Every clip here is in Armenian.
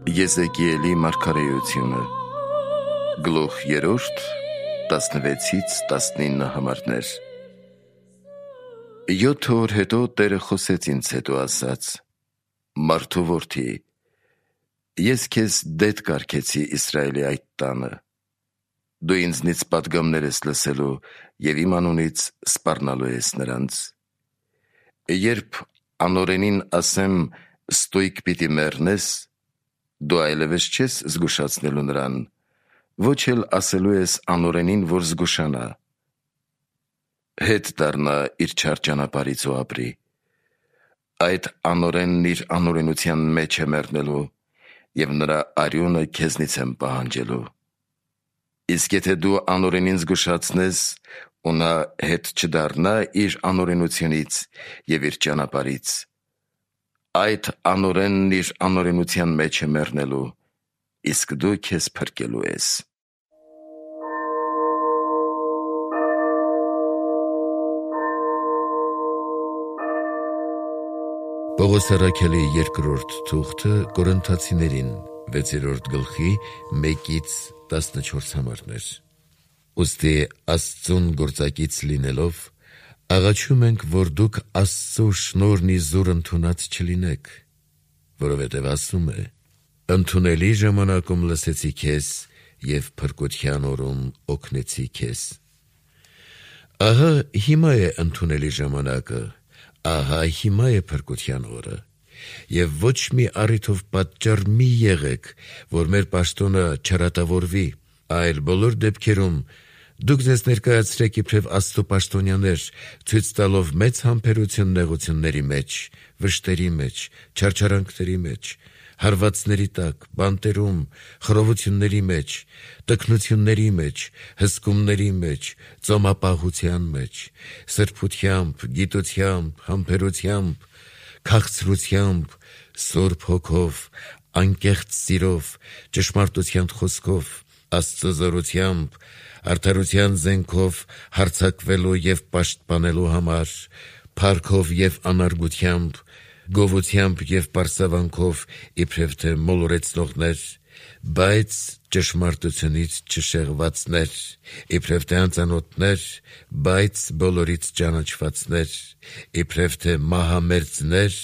Եզեկիելի մարգարեությունը Գլուխ 3 16-19 համարներ 7 օր հետո Տերը խոսեց ինձ հետո ասաց. Մարդու որդի, ես քեզ դեդ կարգեցի Իսրայելի այդ տանը, դու ինձնից պատգամներ ես լսելու և իմ անունից սպառնալու ես նրանց, երբ անօրենին ասեմ ստույգ պիտի մեռնես, դու այլևս չես զգուշացնելու նրան, ոչ էլ ասելու ես անօրենին, որ զգուշանա, հետ դառնա իր չար ճանապարհից ու ապրի, այդ անօրենն իր անօրենության մեջ է մեռնելու և նրա արյունը քեզնից եմ պահանջելու, իսկ եթե դու անօրենին զգուշացնես ու նա հետ չդառնա իր անօրենությունից և իր ճանապարհից, այդ անօրենն իր անօրենության մեջ է մեռնելու, իսկ դու քեզ փրկելու ես։ Պողոս առաքյալի երկրորդ թուղթը Կորինթացիներին 6-րդ գլխի 1-14 համարներ։ Ուստի Աստծուն գործակից լինելով, աղաչում ենք, որ դուք Աստծու շնորհն իզուր ընդունած չլինեք, որովհետև ասում է. ընդունելի ժամանակում լսեցի քեզ և փրկության օրում օգնեցի քեզ։ Ահա հիմա է ընդունելի ժամանակը, ահա հիմա է փրկության օրը, և ոչ մի առիթով պատճառ մի եղեք, որ մեր պաշտոնը չարատավորվի, այլ բոլոր դեպքերում դուք ձեզ ներկայացրեք իբրև Աստծու պաշտոնյաներ, ցույց տալով մեծ համբերություն նեղությունների մեջ, վշտերի մեջ, չարչարանքների մեջ, հարվածների տակ, բանտերում, խռովությունների մեջ, տքնությունների մեջ, հսկումների մեջ, ծոմապահության մեջ, սրբությամբ, գիտությամբ, համբերությամբ, քաղցրությամբ, Սուրբ Հոգով, անկեղծ սիրով, ճշմարտության խոսքով, Աստծու զորությամբ, արդարության զենքով հարձակվելու և պաշտպանելու համար, փառքով և անարգությամբ, գովությամբ և պարսավանքով իբրև թե մոլորեցնողներ, բայց ճշմարտությունից չշեղվածներ, իբրև թե անծանոթներ, բայց բոլորից ճանաչվածներ, իբրև թե մահամերձներ,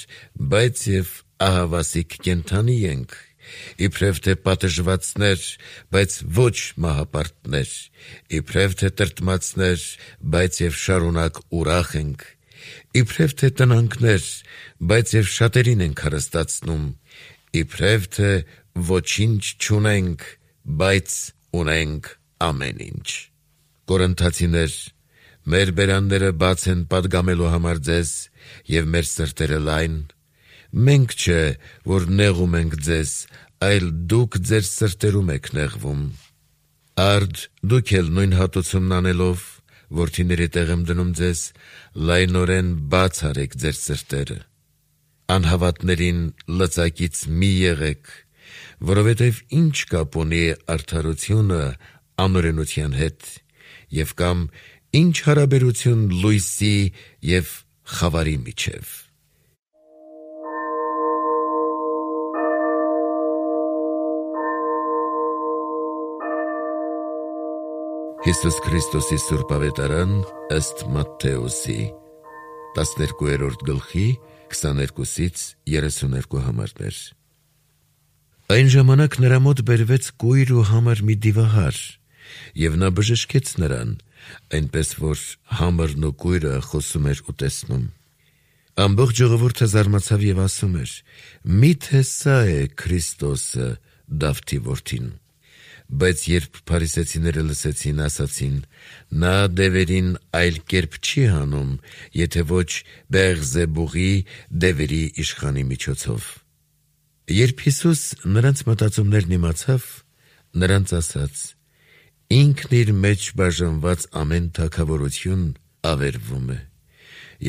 բայց և ահավասիկ կենդանի ենք, իբրև թե պատժվածներ, բայց ոչ մահապարտներ, իբրև թե տրտմածներ, բայց և շարունակ ուրախ ենք, իբրև թե տնանքներ, բայց և շատերին ենք հարստացնում, իբրև թե ոչինչ չունենք, բայց ունենք ամեն ինչ։ Կորինթացիներ, մեր բերանները բաց են պատգամելու համար ձեզ և մեր սրտերը լայն, մենք չէ, որ նեղում ենք ձեզ, այլ դուք ձեր սրտերում եք նեղվում։ Արդ դուք էլ նույն հատուցումն անելով, որդիների տեղ եմ դնում ձեզ, լայնորեն բաց արեք ձեր սրտերը։ Անհավատներին լծակից մի եղեք, որովհետև ինչ կապ ունի արդարությունը անօրենության հետ, և կամ ինչ հարաբերություն լույսի և խավարի միջև։ Հիսուս Քրիստոսի Սուրբ Ավետարան ըստ Մատթեոսի 12-րդ գլխի 22-32 համարներ։ Այն ժամանակ նրա մոտ բերվեց կույր ու համր մի դիվահար, և նա բժշկեց նրան, այնպես որ համրն ու կույրը խոսում էր ու տեսնում։ Ամբողջ ժողովուրդը զարմացավ և ասում էր. «Միթե սա է Քրիստոսը, Դավթի որդին»։ Բայց երբ փարիսեցիները լսեցին, ասացին. նա դևերին այլ կերպ չի հանում, եթե ոչ Բեղզեբուղի դևերի իշխանի միջոցով։ Երբ Հիսուս նրանց մտածումներն իմացավ, նրանց ասաց. ինքն իր մեջ բաժանված ամեն թագավորություն ավերվում է,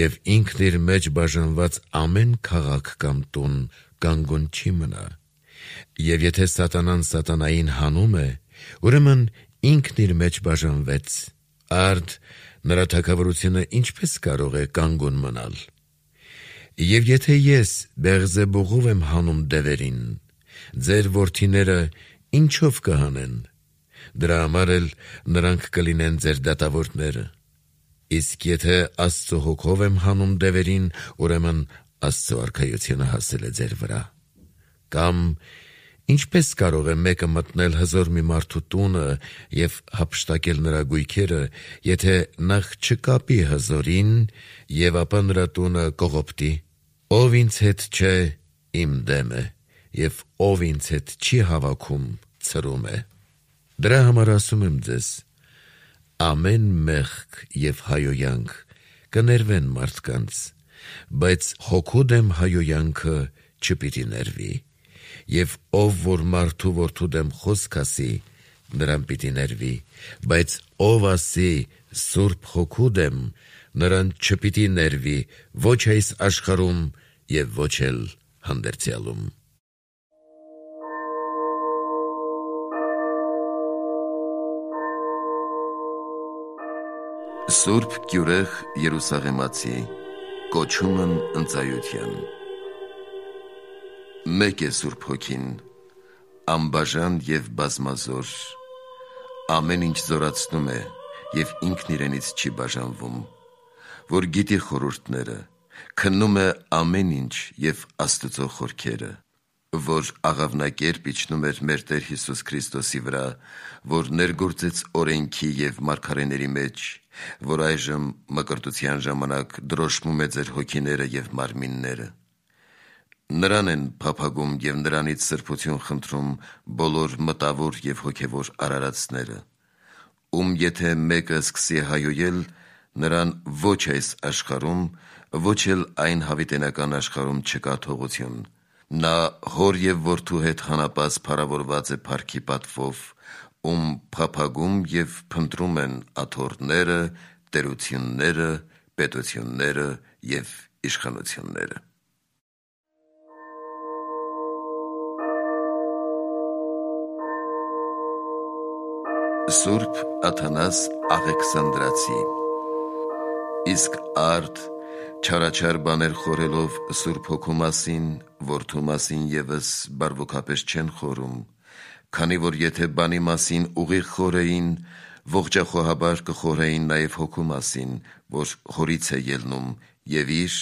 և ինքն իր մեջ բաժանված ամեն քաղաք կամ տուն կանգուն չի մնա, և եթե սատանան սատանային հանում է, ուրեմն ինքն իր մեջ բաժանվեց, արդ նրա թագավորությունը ինչպես կարող է կանգուն մնալ։ Եվ եթե ես Բեղզեբուղով եմ հանում դևերին, ձեր որդիները ինչով կհանեն, դրա համար էլ նրանք կլինեն ձեր դատավորները։ Իսկ եթե Աստծո հոգով եմ հանում դևերին, ուրեմն Աստծո արքայությունը հասել է ձեր վրա։ Կամ ինչպես կարող է մեկը մտնել հզոր մի մարդու տունը և հափշտակել նրա գույքերը, եթե նախ չկապի հզորին և ապա նրա տունը կողոպտի։ Ով ինձ հետ չէ, իմ դեմ է, և ով ինձ հետ չի հավաքում, ցրում է։ Դրա համար ասում եմ ձեզ. ամեն մեղք և հայոյանք կներվեն մարդկանց, բայց հոգու դեմ հայոյանքը չպիտի ներվի, և ով որ մարդու որդու դեմ խոսք ասի, նրան պիտի ներվի, բայց ով ասի Սուրբ Հոգու դեմ, նրան չպիտի ներվի ոչ այս աշխարհում և ոչ էլ հանդերձյալում։ Սուրբ Գյուրեղ Երուսաղեմացի կոչումն ընծայության։ Մեկ է Սուրբ Հոգին, անբաժան և բազմազոր, ամեն ինչ զորացնում է և ինքն իրենից չի բաժանվում, որ գիտի խորհուրդները, քննում է ամեն ինչ և Աստծո խորքերը, որ աղավնակերպ իջնում էր մեր Տեր Հիսուս Քրիստոսի վրա, որ ներգործեց օրենքի և մարգարեների մեջ, որ այժմ մկրտության ժամանակ դրոշմում է ձեր հոգիները և մարմինները։ Նրան են փափագում և նրանից սրբություն խնդրում բոլոր մտավոր և հոգևոր արարածները, ում եթե մեկը սկսի հայոյել, նրան ոչ այս աշխարհում, ոչ էլ այն հավիտենական աշխարհում չկա թողություն։ Նա հոր և որդու հետ հանապազ փառավորված է փառքի պատվով, ում փափագում և փնտրում են աթոռները, տերությունները, պետությունները և իշխանությունները։ Սուրբ Աթանաս Աղեքսանդրացի։ Իսկ արդ չարաչար բաներ խորելով Սուրբ Հոգու մասին, որդու մասին ևս բարվոքապես չեն խորում, քանի որ եթե բանի մասին ուղիղ խորեին, ողջախոհաբար կխորեին նաև Հոգու մասին, որ հորից է ելնում և իր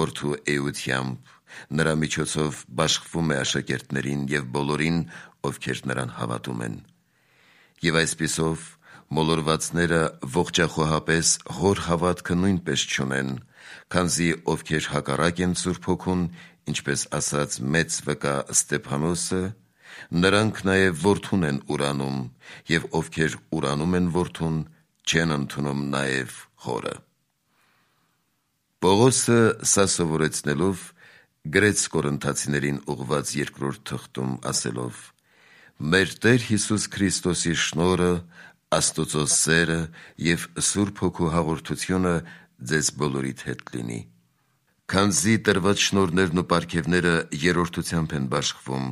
որդու էությամբ նրա միջոցով բաշխվում է աշակերտներին և բոլորին, ովքեր նրան հավատում են։ Եվ այսպիսով մոլորվածները ողջախոհապես հոր հավատքը նույնպես չունեն, քանզի ովքեր հակառակ են Սուրբ Հոգուն, ինչպես ասաց մեծ վկա Ստեփանոսը, նրանք նաև որդուն են ուրանում, և ովքեր ուրանում են որդուն, չեն ընդունում նաև հորը։ Պողոսը սա սովորեցնելով գրեց Կորինթացիներին ուղղված երկրորդ թղթում ասելով. «Մեր Տեր Հիսուս Քրիստոսի շնորհը, Աստծո սերը և Սուրբ Հոգու հաղորդությունը ձեզ բոլորիդ հետ լինի»։ Քանզի տրված շնորհներն ու պարգևները երրորդությամբ են բաշխվում,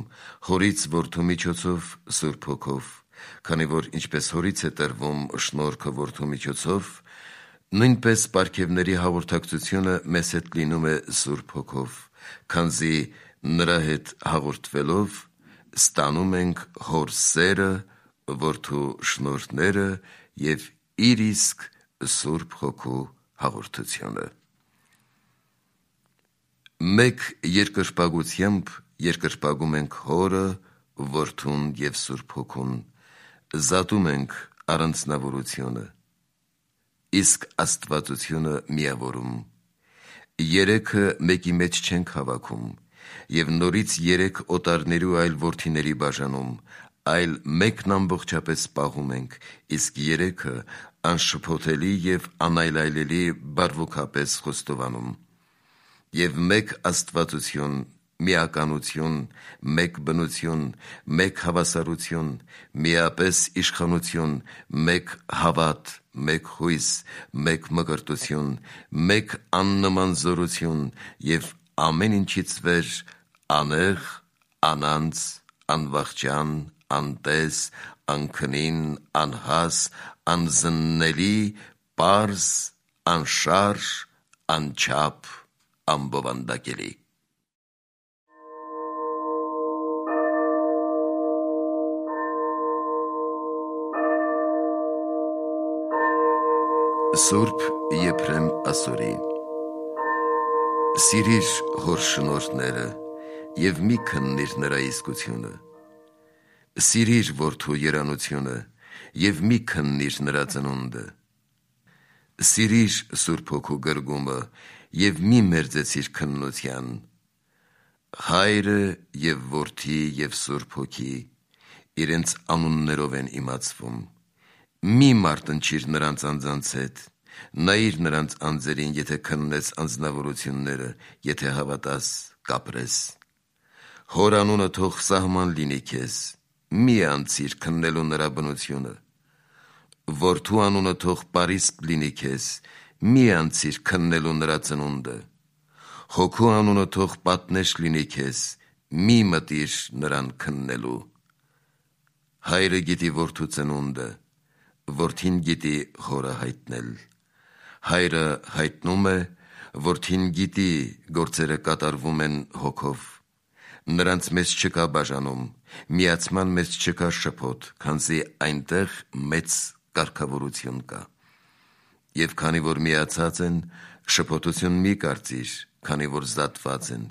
հորից որդու միջոցով Սուրբ Հոգով, քանի որ ինչպես հորից է տրվում շնորհքը որդու միջոցով, նույնպես պարգևների հաղորդակցությունը մեզ հետ լինում է Սուրբ Հոգով, քանզի նրա հետ հաղորդվելով ստանում ենք հոր սերը, որդու շնորհները և իր իսկ Սուրբ Հոգու հաղորդությունը։ Մեկ երկրպագությամբ երկրպագում ենք հորը, որդուն և Սուրբ Հոգուն, զատում ենք առանձնավորությունը, իսկ աստվածությունը միավորում։ Երեքը մեկի մեջ չենք հավաքում, և նորից երեք օտարներու այլ որդիների բաժանում, այլ մեկն ամբողջապես պահում ենք, իսկ երեքը անշփոթելի և անայլայլելի բարվոքապես խոստովանում։ Եվ մեկ աստվածություն, միականություն, մեկ բնություն, մեկ հավասարություն, միապես իշխանություն, մեկ հավատ, մեկ հույս, մեկ մկրտություն, մեկ աննման զորություն և ամեն ինչից վեր անեղ, անանց, անվախճան, անտես, անքնին, անհաս, անզննելի, պարզ, անշարժ, անչափ, անբովանդակելի։ Սուրբ Եփրեմ Ասորի Սիրիր հոր շնորհները և մի քննիր նրա իսկությունը, սիրիր որդու երանությունը և մի քննիր նրա ծնունդը, սիրիր Սուրբ Հոգու գրգումը և մի մերձեցիր քննության, Հայրը և որդի և Սուրբ Հոգի իրենց անուններով են իմացվում, մի մարտնչիր նրանց անձանց հետ, նայիր նրանց անձերին, եթե քննես անձնավորությունները, եթե հավատաս, կապրես, հոր անունը թող սահման լինի քեզ, մի անցիր քննելու նրա բնությունը, որդու անունը թող պարիսպ լինի քեզ, մի անցիր քննելու նրա ծնունդը, Հոգու անունը թող պատնեշ լինի քեզ, մի մտիր նրան քննելու, Հայրը գիտի որդու ծնունդը, որդին գիտի հորը հայտնել, Հայրը հայտնում է, որդին գիտի գործերը կատարվում են հոգով, նրանց մեջ չկա բաժանում, միացման մեջ չկա շփոթ, քանզի այնտեղ մեծ կարգավորություն կա, և քանի որ միացած են, շփոթություն մի կարծիր, քանի որ զատված են,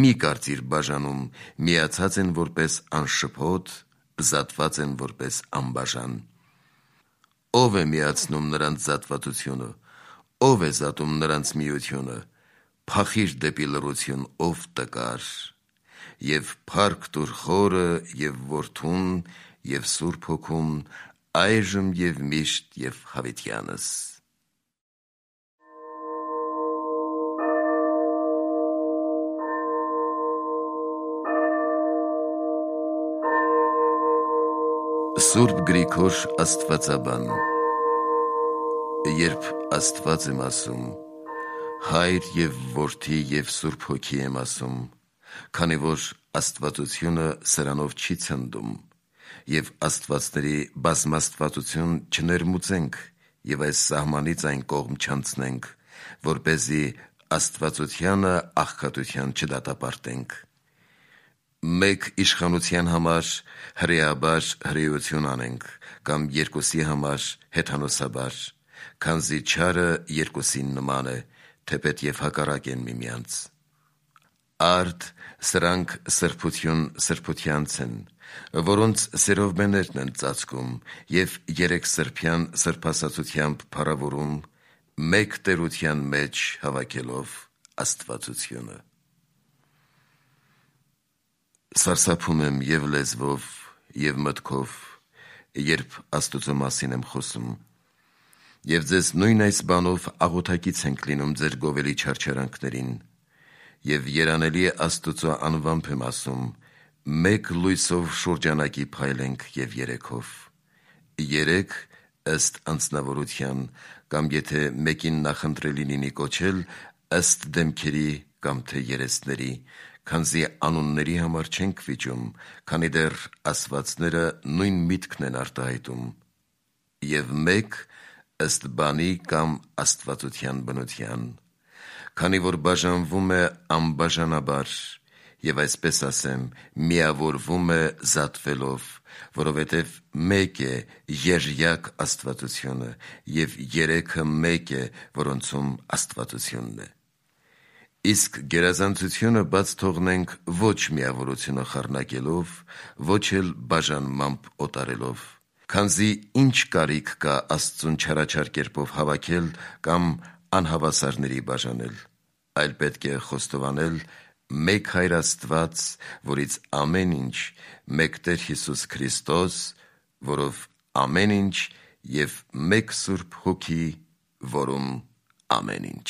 մի կարծիր բաժանում, միացած են որպես անշփոթ, զատված են որպես անբաժան, ով է միացնում նրանց զատվածությունը, ով է զատում նրանց միությունը, փախիր դեպի լռություն, ով տկար, և փառք տուր Խորը և Որդուն և Սուրբ Հոգուն, այժմ և միշտ և հավիտյանս։ Սուրբ Գրիգոր Աստվածաբան Երբ Աստված եմ ասում, Հայր և Որդի և Սուրբ Հոգի եմ ասում, քանի որ աստվածությունը սրանով չի ցնդում, և աստվածների բազմաստվածություն չներմուծենք և այս սահմանից այն կողմ չանցնենք, որպեսզի աստվածությանը աղքատության չդատապարտենք, մեկ իշխանության համար հրեաբար հրեություն անենք, կամ երկուսի համար հեթանոսաբար, քանզի չարը երկուսին նման է, թեպետ և հակառակ են միմյանց, արդ սրանք սրբություն սրբությանց են, որոնց սերովբեներն են ծածկում և երեքսրբյան սրբասացությամբ փառավորում, մեկ տերության մեջ հավաքելով աստվածությունը։ Սարսափում եմ և լեզվով, և մտքով, երբ Աստուծո մասին եմ խոսում, և ձեզ նույն այս բանով աղոթակից ենք լինում ձեր գովելի չարչարանքներին, և երանելի Աստուծո անվամբ եմ ասում, մեկ լույսով շուրջանակի փայլենք և երեքով, երեք ըստ անձնավորության, կամ եթե մեկին նախընտրելի լինի կոչել, ըստ դեմքերի կամ թե երեսների, քանզի անունների համար չենք վիճում, քանի դեռ ասվածները նույն միտքն են արտահայտում, և մեկ ըստ բանի կամ աստվածության բնության, քանի որ բաժանվում է անբաժանաբար, և այսպես ասեմ, միավորվում է զատվելով, որովհետև մեկ է երջյակ աստվածությունը, և երեքը մեկ է, որոնցում աստվածությունն է, իսկ գերազանցությունը բաց թողնենք ոչ միավորությունը խառնակելով, ոչ էլ բաժանմամբ օտարելով, քանզի ինչ կարիք կա Աստծուն չարաչար կերպով հավաքել կամ անհավասարների բաժանել, այլ պետք է խոստովանել մեկ Հայր Աստված, որից ամեն ինչ, մեկ Տեր Հիսուս Քրիստոս, որով ամեն ինչ, և մեկ Սուրբ Հոգի, որում ամեն ինչ։